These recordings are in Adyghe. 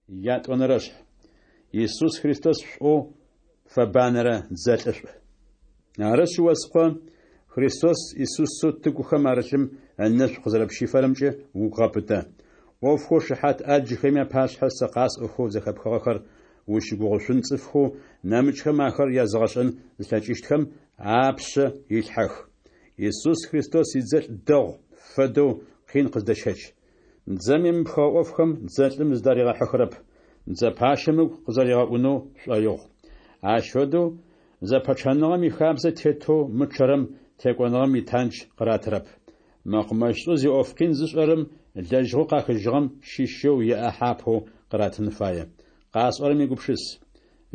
Ятӏонэрэшъхь. Исус Христос шӏоу фэбанэрэ дзэлӏышӏу. Арышъ, о скъо, Христос Исусэу тыгухэм арылъым ынэшӏу къызэрэпщифэрэмкӏэ угу гъэпытэ. ӏофхэу шыхьат ӏаджхэми апашъхьэ сэ къасӏохэу зэхэпхыгъэхэр узщыгугъышъун цӏыфхэу нэмыкӏхэм ахэр языгъэшӏэн зылъэкӏыщтхэм апшъэ илъхьэх. Исус Христос идзэлӏ дэгъу фэдэу къин къыздэщэч. Дзэм емыпхыгъэ ӏофхэм дзэлӏым зыдаригъэхьыхырэп, дзэ пащэм ыгу къызэригъэӏунэу шӏоигъу. Ащ фэдэу зэпэчъэныгъэм ихабзэ тетэу мычъэрэм текӏоныгъэм итандж къыратырэп. Мэкъумэщышӏэу зиӏоф къин зышӏэрэм лэжьыгъэу къахыжьыгъэм щыщэу иӏахьэ апэу къыратын фае. Къасӏорэм егупшыс.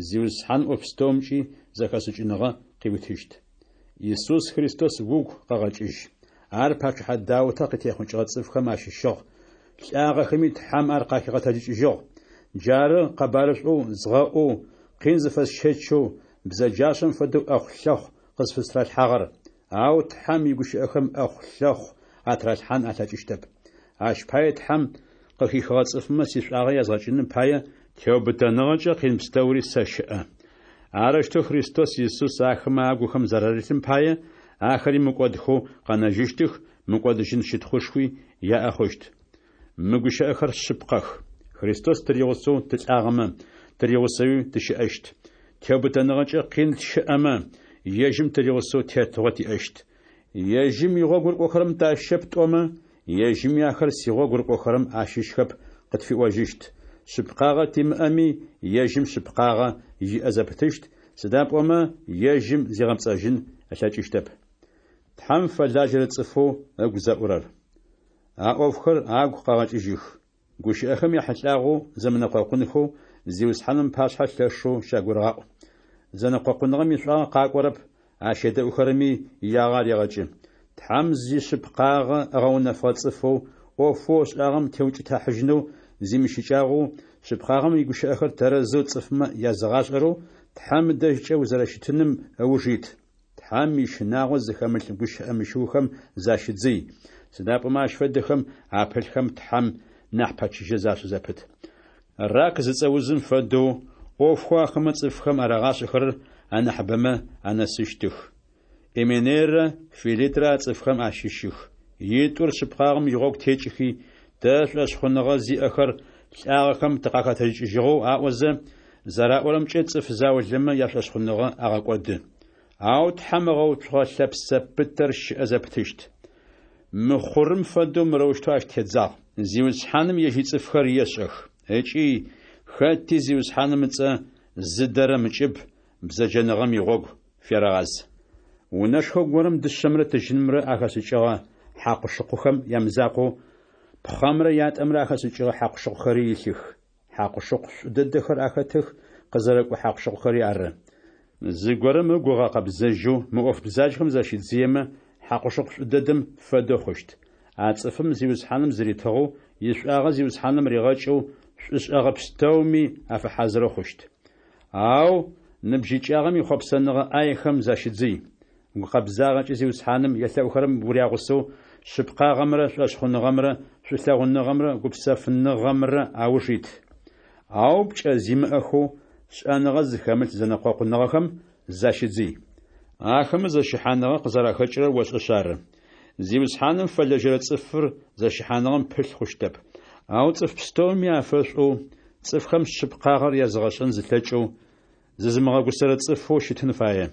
Зиусхьаным ӏоф пстэумкӏи зэхэшӏыкӏыныгъэ къыуитыщт. Исус Христос угу къэгъэкӏыжь. Ар пачъыхьэ Даутэ къытехъукӏыгъэ цӏыфхэм ащыщыгъ, лӏагъэхэми Тхьэм ар къахигъэтэджыкӏыжьыгъ. Джары къэбарышӏоу згъэӏоу, къин зыфэсщэчэу, бзэджашӏэм фэдэу ӏэхъу-лъэхъу къызфыстралъхьагъэр. Ау Тхьэм игущыӏэхэм ӏэхъу-лъэхъу атыралъхьан алъэкӏыщтэп. Ащ пае Тхьэм къыхихыгъэ цӏыфмэ сишӏуагъэ язгъэкӏыным пае, теубытэныгъэкӏэ къин пстэури сэщыӏэ. Арэущтэу Христос Исус ахэмэ агухэм зэрарилъым пае, ахэри мыкӏодхэу къэнэжьыщтых, мыкӏодыжьын щытхъушхуи яӏэ хъущт. Мы гущыӏэхэр шъыпкъэх. Христос тыригъусэу тылӏагъэмэ, тыригъусэуи тыщыӏэщт. Теубытэныгъэкӏэ къин тщыӏэмэ, ежьым тыригъусэу тетыгъо тиӏэщт. Ежьым игъогу рыкӏохэрэм тащыщэп тӏомэ, ежьыми ахэр сигъогу рыкӏохэрэм ащыщхэп къытфиӏожьыщт. Шъыпкъагъэ тимыӏэми, ежьым шъыпкъагъэ иӏэ зэпытыщт, сыда пӏомэ ежьым зигъэпцӏэжьын ылъэкӏыщтэп. Тхьэм фэлажьэрэ цӏыфэу ыгу зэӏурэр. А ӏофхэр агу къэгъэкӏыжьых. Гущыӏэхэм яхьылӏагъэу зэмынэкъокъунхэу Зиусхьаным ыпашъхьэ лъэшэу щагурыгъаӏу. Зэнэкъокъуныгъэм ишӏуагъэ къакӏорэп, ащ едэӏухэрэми иягъэ арегъэкӏы. Тхьэм зишъыпкъагъэ ыгъэунэфыгъэ цӏыфэу, ӏофэу ышӏагъэм теукӏытыхьажьынэу зимыщыкӏагъэу, шъыпкъагъэм игущыӏэхэр тэрэзэу цӏыфмэ языгъашӏэрэу, Тхьэм ыдэжькӏэ узэрэщытыным ыуж ит. Тхьэм ищынагъо зыхэмылъ гущыӏэ мыщыухэм защыдзый, сыда пӏомэ ащ фэдэхэм апылъхэм Тхьэм нахь пэчыжьэ зашӏы зэпыт. Рак зыцӏэ узым фэдэу, ӏофхэу ахэмэ цӏыфхэм арагъашӏэхэрэр анахьыбэмэ анэсыщтых. Именейрэ Филитрэ а цӏыфхэм ащыщых. Итӏур шъыпкъагъэм игъогу текӏыхи, тэ шӏошъхъуныгъэ зиӏэхэр лӏагъэхэм тыкъахэтэджыкӏыжьыгъэу аӏозэ, зэраӏорэмкӏэ цӏыф заулэмэ яшӏошъхъуныгъэ агъэкӏоды. Ау Тхьэм ыгъэуцугъэ лъэпсэ пытэр щыӏэ зэпытыщт. Мыхъурым фэдэу мырэущтэу ащ тедзагъ: Зиусхьаным ежь ицӏыфхэр ешӏэх. Ыкӏи хэти Зиусхьаным ыцӏэ зыдэрэм ыкӏыб бзэджэныгъэм игъогу ферэгъаз. Унэшхо горэм дышъэмрэ тыжьынымрэ ахэшӏыкӏыгъэ хьакъу-шыкъухэм ямызакъоу, пхъэмрэ ятӏэмрэ ахэшӏыкӏыгъэ хьакъу-шыкъухэри илъых. Хьакъу-шыкъу шӏу дэдэхэр ахэтых, къызэрыкӏо хьакъу-шыкъухэри ары. Зыгорэм ыгу ыгъэкъэбзэжьэу мы ӏоф бзаджэхэм защидзыемэ, хьакъу-шыкъу шӏу дэдэм фэдэу хъущт. А цӏыфым Зиусхьаным зыритыгъэу, ишӏуагъэ Зиусхьаным ригъэкӏэу, шӏушӏэгъэ пстэуми афэхьазырэу хъущт. Ау ныбжьыкӏагъэм ихъопсэныгъэ ӏаехэм защыдзый. Гукъэбзагъэкӏэ Зиусхьаным елъэӏухэрэм урягъусэу шъыпкъагъэмрэ шӏошъхъуныгъэмрэ шӏулъэгъуныгъэмрэ гупсэфыныгъэмрэ ауж ит. Ау пкӏэ зимыӏэхэу, шӏэныгъэ зыхэмылъ зэнэкъокъуныгъэхэм защыдзый. Ахэмэ зэщыхьаныгъэ къызэрахэкӏырэр ошӏэшъ ары. Зиусхьаным фэлэжьэрэ цӏыфыр зэщыхьаныгъэм пылъ хъущтэп. Ау цӏыф пстэуми афэшӏоу, цӏыфхэм шъыпкъагъэр языгъэшӏэн зылъэкӏэу, зызымыгъэгусэрэ цӏыфэу щытын фае.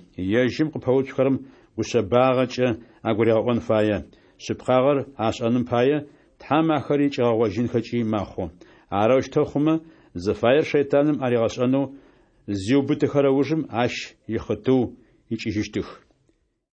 Ежьым къыпэуцухэрэм гушъэбагъэкӏэ агуригъэӏон фае, шъыпкъагъэр ашӏэным пае, Тхьэм ахэри кӏигъэгъожьынхэкӏи мэхъу. Арэущтэу хъумэ, зыфаер шэйтаным аригъэшӏэнэу зиубытыхэрэ ужым ащ ихъытыу икӏыжьыщтых.